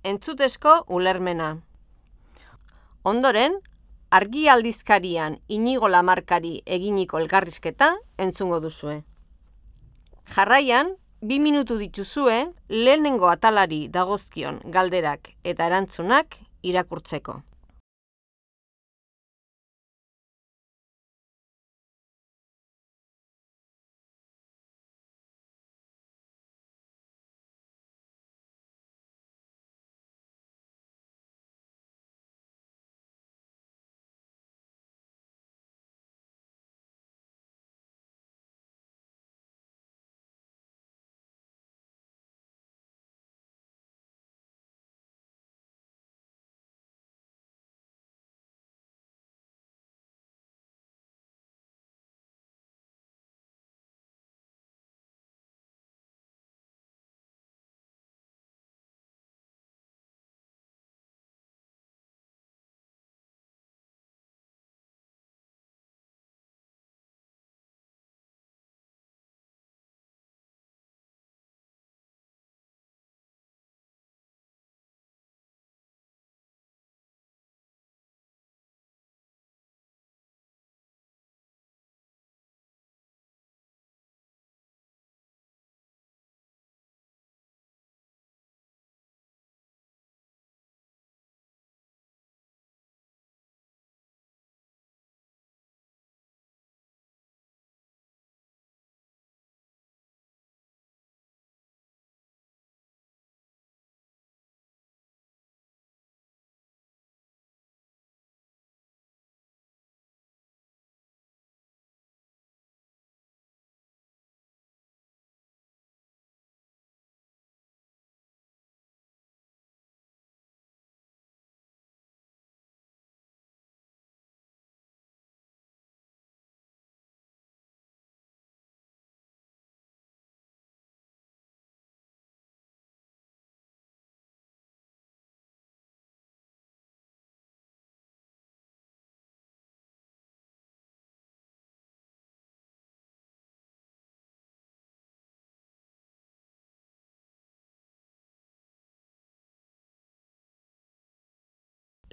entzutezko ulermena. Ondoren, Argi aldizkarian Inigo Lamarkari eginiko elkarrizketa entzungo duzue. Jarraian, 2 minutu dituzue lehenengo atalari dagozkion galderak eta erantzunak irakurtzeko.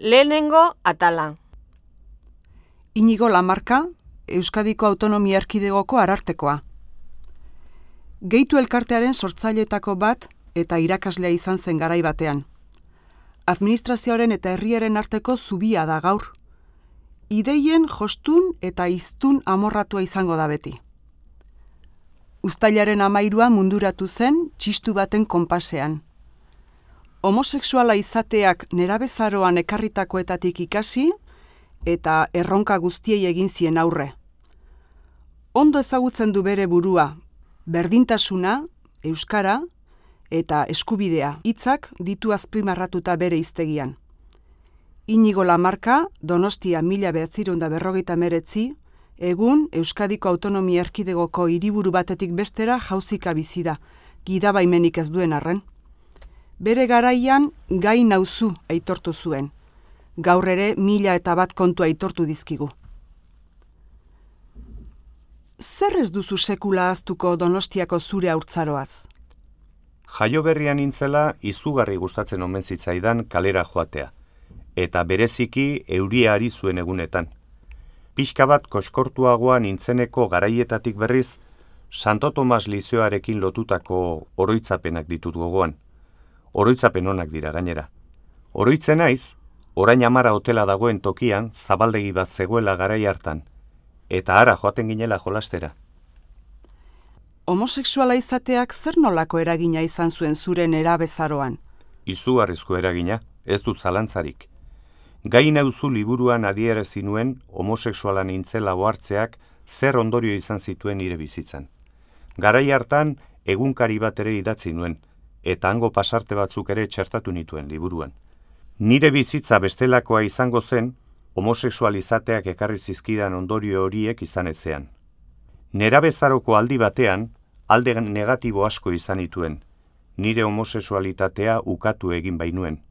Lehenengo atala. Inigo Lamarka, Euskadiko Autonomia Erkidegoko arartekoa. Gehitu elkartearen sortzaileetako bat eta irakaslea izan zen garai batean. Administrazioaren eta herriaren arteko zubia da gaur. Ideien jostun eta hiztun amorratua izango da beti. Uztailaren 13 munduratu zen txistu baten konpasean. Homosexuala izateak nerabezaroan ekarritakoetatik ikasi eta erronka guztiei egin zien aurre. Ondo ezagutzen du bere burua, berdintasuna, euskara eta eskubidea hitzak ditu azpimarratuta bere hiztegian. Inigo Lamarka, Donostia 1959, egun Euskadiko Autonomia Erkidegoko hiriburu batetik bestera jauzika bizi da, gidabaimenik ez duen arren. Bere garaian gai nauzu aitortu zuen. Gaur ere 1001 kontu aitortu dizkigu. Zer ez duzu sekula ahaztuko Donostiako zure haurtzaroaz? Jaioberrian nintzela izugarri gustatzen omen zitzaidan kalera joatea, eta bereziki euria ari zuen egunetan. Pixka bat koskortuagoa nintzeneko garaietatik berriz, Santo Tomas Lizeoarekin lotutako oroitzapenak ditut gogoan. Oroitzapen onak dira gainera. Oroitzen naiz, orain Amara hotela dagoen tokian zabaldegi bat zegoela garai hartan, eta hara joaten ginela jolastera. Homosexuala izateak zer nolako eragina izan zuen zure nerabezaroan? Izugarrizko eragina, ez dut zalantzarik. Gai nauzu liburuan adierazi nuen homosexuala nintzela ohartzeak zer ondorio izan zituen nire bizitzan. Garai hartan egunkari bat ere idatzi nuen, eta hango pasarte batzuk ere txertatu nituen liburuan. Nire bizitza bestelakoa izango zen, homosexualizateak ekarri zizkidan ondorio horiek izan ezean. Nerabezaroko aldi batean, alde negatibo asko izan nituen, nire homosexualitatea ukatu egin bainuen.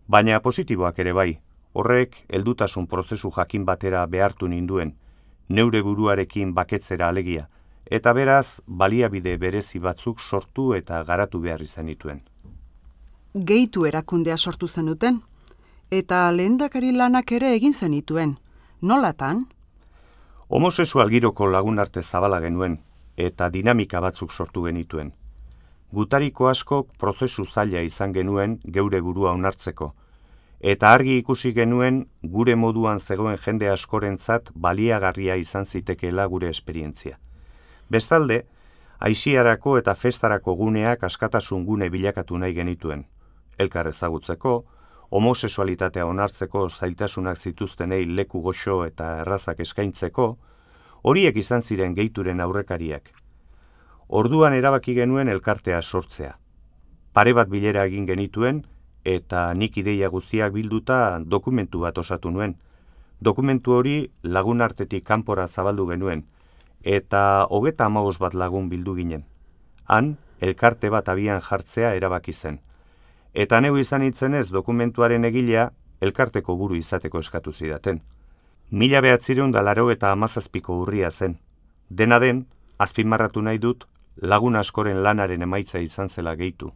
Baina positiboak ere bai, horrek heldutasun prozesu jakin batera behartu ninduen, neure buruarekin baketzera alegia, eta beraz baliabide berezi batzuk sortu eta garatu behar izan nituen. gehitu erakundea sortu zenuten, eta lehendakari lanak ere egin zenituen. Nolatan? Homosexual giroko lagun arte zabala genuen, eta dinamika batzuk sortu genituen. Gutariko askok prozesu zaila izan genuen geure burua onartzeko, eta argi ikusi genuen gure moduan zegoen jende askorentzat baliagarria izan zitekeela gure esperientzia. Bestalde, aisiarako eta festarako guneak askatasun gune bilakatu nahi genituen. Elkar ezagutzeko, homosexualitatea onartzeko zailtasunak zituztenei leku goxo eta errazak eskaintzeko, horiek izan ziren gehituren aurrekariak. Orduan erabaki genuen elkartea sortzea. Pare bat bilera egin genituen, eta nik ideia guztiak bilduta dokumentu bat osatu nuen. Dokumentu hori lagun artetik kanpora zabaldu genuen, eta 35 bat lagun bildu ginen. Han, elkarte bat abian jartzea erabaki zen. Eta neu izan itzenez dokumentuaren egilea elkarteko buru izateko eskatu zidaten. 1987ko urria zen. Dena den, azpimarratu nahi dut, lagun askoren lanaren emaitza izan zela gehitu.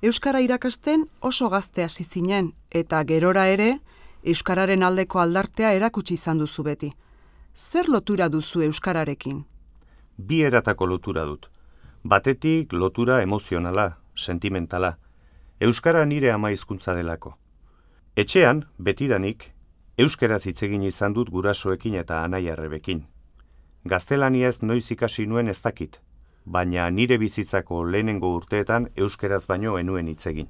Euskara irakasten oso gazte hasi zinen, eta gerora ere, euskararen aldeko aldartea erakutsi izan duzu beti. Zer lotura duzu euskararekin? Bi eratako lotura dut. Batetik lotura emozionala, sentimentala. Euskara nire ama hizkuntza delako. Etxean, betidanik, euskeraz hitz egin izan dut gurasoekin eta anai-arrebekin. Gaztelaniaz noiz ikasi nuen ez dakit, baina nire bizitzako lehenengo urteetan euskeraz baino enuen hitz egin.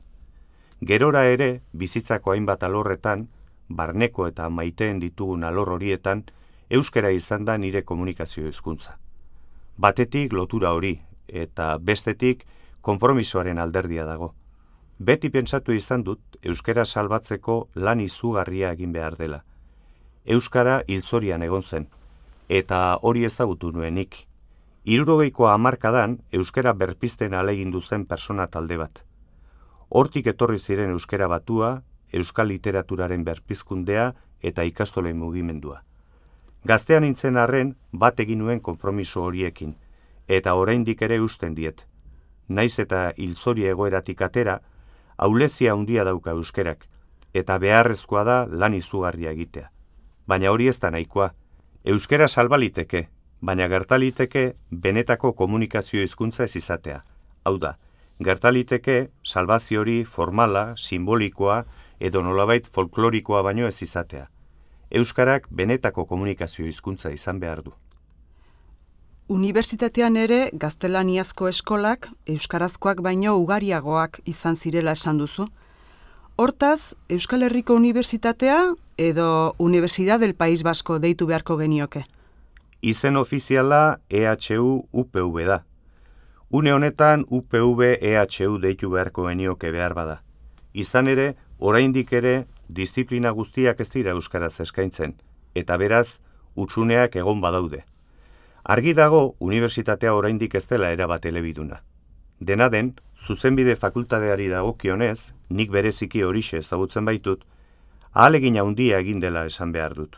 Gerora ere, bizitzako hainbat alorretan, barneko eta maiteen ditugun alor horietan, euskera izan da nire komunikazio hizkuntza. Batetik lotura hori, eta bestetik konpromisoaren alderdia dago. Beti pentsatu izan dut euskara salbatzeko lan izugarria egin behar dela. Euskara hilzorian egon zen, eta hori ezagutu nuenik. 70ko hamarkadan euskara berpizten ahalegindu zen persona talde bat. Hortik etorri ziren euskara batua, euskal literaturaren berpizkundea eta ikastolen mugimendua. Gaztean nintzen arren bat egin nuen konpromiso horiekin, eta oraindik ere usten diet. Naiz eta hilzori egoeratik atera, ahulezia handia dauka euskerak, eta beharrezkoa da lan izugarria egitea. Baina hori ez da nahikoa. Euskara salbaliteke, baina gertaliteke benetako komunikazio hizkuntza ez izatea. Hau da, gertaliteke salbazio hori formala, simbolikoa edo nolabait folklorikoa baino ez izatea. Euskarak benetako komunikazio hizkuntza izan behar du. Unibertsitatean ere gaztelaniazko eskolak euskarazkoak baino ugariagoak izan zirela esan duzu. Hortaz, Euskal Herriko Unibertsitatea edo Universidad del País Vasco deitu beharko genioke? Izen ofiziala EHU-UPV da. Une honetan UPV-EHU deitu beharko genioke behar bada. Izan ere, oraindik ere, disiplina guztiak ez dira euskaraz eskaintzen, eta beraz, hutsuneak egon badaude. Argi dago, unibertsitatea oraindik ez dela erabat elebiduna. Dena den, zuzenbide fakultateari dagokionez, nik bereziki horixe ezagutzen baitut, ahalegin handia egin dela esan behar dut.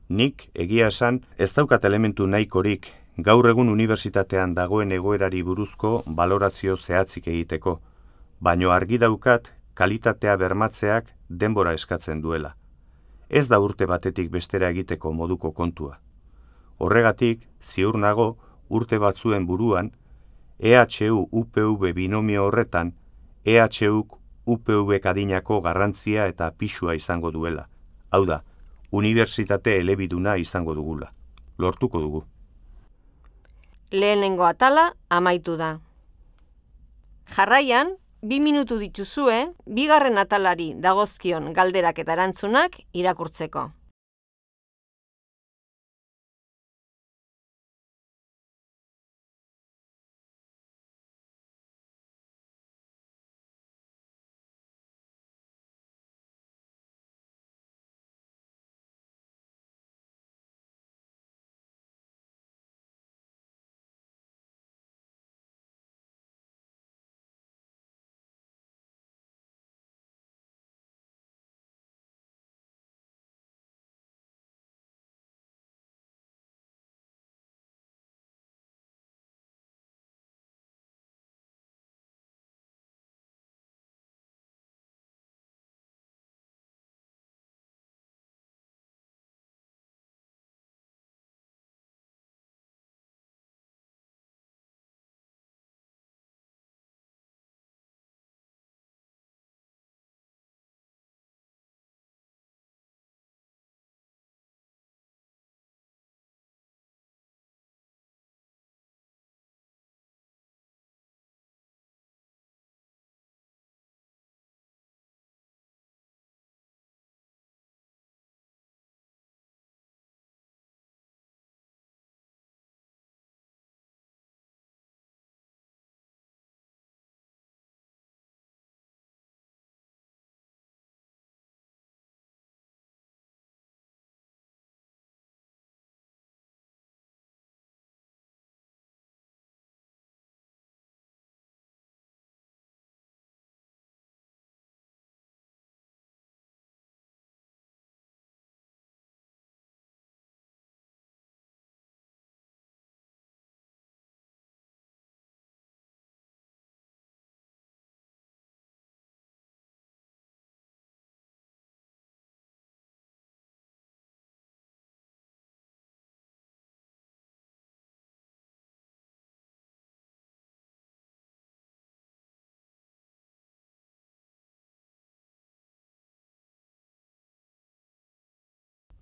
Nik, egia esan, ez daukat elementu nahikorik gaur egun unibertsitatean dagoen egoerari buruzko balorazio zehatzik egiteko, baino argi daukat kalitatea bermatzeak denbora eskatzen duela. Ez da urte batetik bestera egiteko moduko kontua. Horregatik, ziur nago, urte batzuen buruan, EHU-UPV binomio horretan, EHUk UPV adinako garrantzia eta pisua izango duela. Hau da, unibertsitate elebiduna izango dugula. Lortuko dugu. Lehenengo atala amaitu da. Jarraian, 2 minutu dituzue, bigarren atalari dagozkion galderak eta erantzunak irakurtzeko.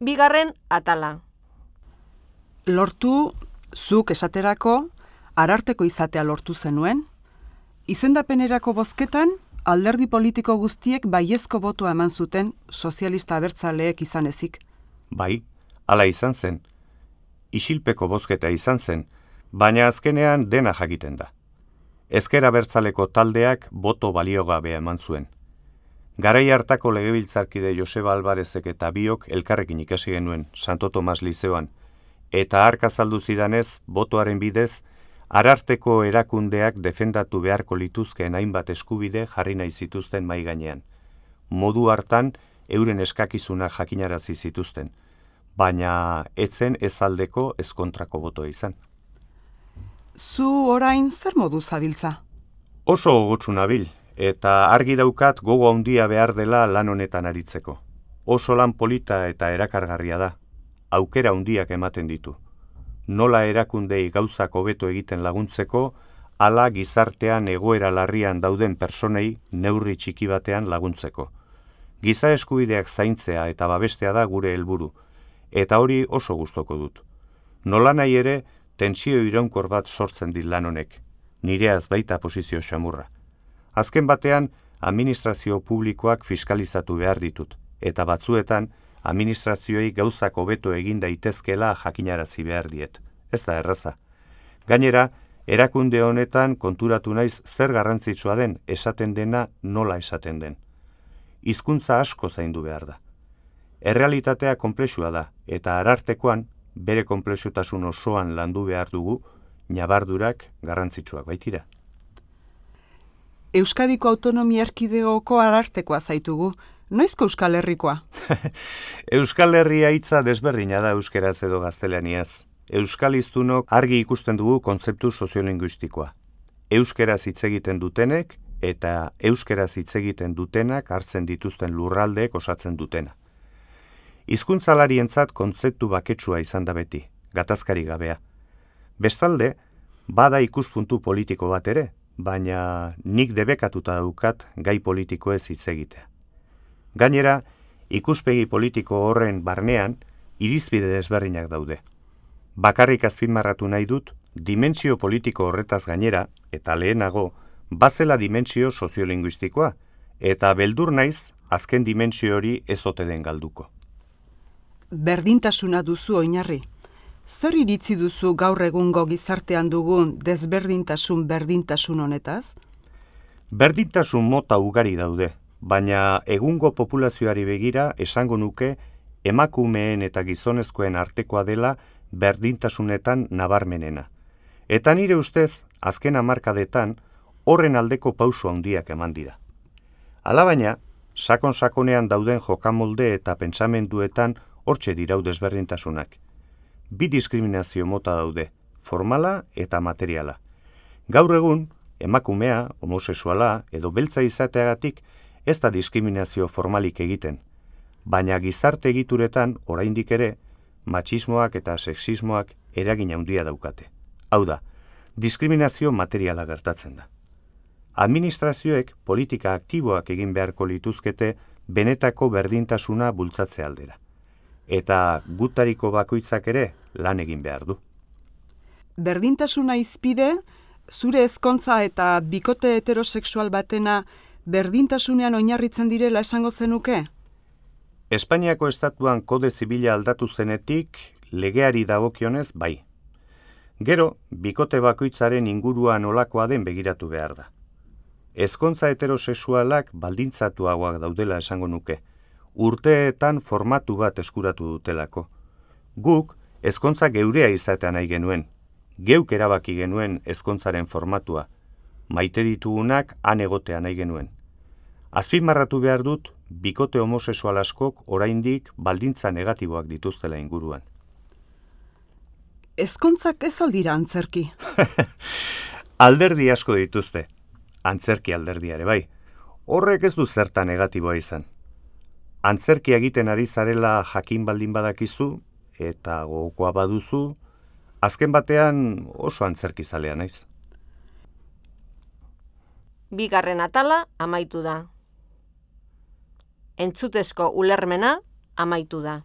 Bigarren atala. Lortu, zuk esaterako, ararteko izatea lortu zenuen. Izendapenerako bozketan, alderdi politiko guztiek baiezko botoa eman zuten sozialista abertzaleek izan ezik. Bai, hala izan zen. Isilpeko bozketa izan zen, baina azkenean dena jakiten da. Ezker Abertzaleko taldeak boto baliogabea eman zuen. Garai hartako legebiltzarkide Joseba Alvarezek eta biok elkarrekin ikasi genuen Santo Tomas Lizeoan, eta hark azaldu zidanez, botoaren bidez, ararteko erakundeak defendatu beharko lituzkeen hainbat eskubide jarri nahi zituzten mahai gainean. Modu hartan, euren eskakizunak jakinarazi zituzten, baina etzen ez aldeko ez kontrako botoa izan. Zu orain zer modu zabiltza? Oso gogotsu nabil, eta argi daukat gogo handia behar dela lan honetan aritzeko. Oso lan polita eta erakargarria da, aukera handiak ematen ditu. Nola erakundei gauzak hobeto egiten laguntzeko, hala gizartean egoera larrian dauden personei neurri txiki batean laguntzeko. Giza eskubideak zaintzea eta babestea da gure helburu, eta hori oso gustoko dut. Nolanahi ere, tentsio iraunkor bat sortzen dit lan honek, nireaz baita posizio xamurra. Azken batean, administrazio publikoak fiskalizatu behar ditut, eta batzuetan, administrazioei gauzak hobeto egin daitezkela jakinarazi behar diet. Ez da erraza. Gainera, erakunde honetan konturatu naiz zer garrantzitsua den esaten dena nola esaten den. Hizkuntza asko zaindu behar da. Errealitatea konplexua da, eta arartekoan, bere konplexutasun osoan landu behar dugu, ñabardurak garrantzitsuak baitira. Euskadiko Autonomia Erkidegoko arartekoa zaitugu, noizko Euskal Herrikoa? Euskal Herria hitza desberdina da euskeraz edo gaztelaniaz. Euskal hiztunok argi ikusten dugu kontzeptu soziolinguistikoa. Euskeraz hitz egiten dutenek eta euskeraz hitz egiten dutenak hartzen dituzten lurraldeek osatzen dutena. Hizkuntzalarientzat kontzeptu baketsua izan da beti, gatazkari gabea. Bestalde, bada ikuspuntu politiko bat ere, baina nik debekatuta daukat gai politikoez hitz egitea. Gainera, ikuspegi politiko horren barnean, irizpide desberdinak daude. Bakarrik azpimarratu nahi dut, dimentsio politiko horretaz gainera, eta lehenago, bazela dimentsio soziolinguistikoa, eta beldur naiz, azken dimentsio hori ez ote den galduko. Berdintasuna duzu oinarri. Zer iritzi duzu gaur egungo gizartean dugun desberdintasun berdintasun honetaz? Berdintasun mota ugari daude, baina egungo populazioari begira esango nuke emakumeen eta gizonezkoen artekoa dela berdintasunetan nabarmenena. Eta nire ustez, azken hamarkadetan, horren aldeko pauso handiak eman dira. Alabaina, sakon-sakonean dauden jokamolde eta pentsamenduetan hortxe dirau desberdintasunak. Bi diskriminazio mota daude, formala eta materiala. Gaur egun, emakumea, homosexuala edo beltza izateagatik ez da diskriminazio formalik egiten, baina gizarte egituretan oraindik ere matxismoak eta sexismoak eragin handia daukate. Hau da, diskriminazio materiala gertatzen da. Administrazioek politika aktiboak egin beharko lituzkete benetako berdintasuna bultzatze aldera. Eta gutariko bakoitzak ere lan egin behar du. Berdintasuna izpide, zure ezkontza eta bikote heterosexual batena berdintasunean oinarritzen direla esango zenuke? Espainiako estatuan kode zibila aldatu zenetik, legeari dagokionez bai. Gero, bikote bakoitzaren inguruan olakoa den begiratu behar da. Ezkontza heterosexualak baldintzatuagoak daudela esango nuke, urteetan formatu bat eskuratu dutelako. Guk, ezkontza geurea izatea nahi genuen, geuk erabaki genuen ezkontzaren formatua, maite ditugunak han egotea nahi genuen. Azpimarratu behar dut, bikote homosexual askok oraindik baldintza negatiboak dituztela inguruan. Ezkontzak ez aldira antzerki. Alderdi asko dituzte, antzerki alderdiare bai. Horrek ez du zerta negatiboa izan. Antzerki egiten ari zarela jakin baldin badakizu, eta gogokoa baduzu, azken batean oso antzerkizalea naiz. Bigarren atala amaitu da. Entzutezko ulermena amaitu da.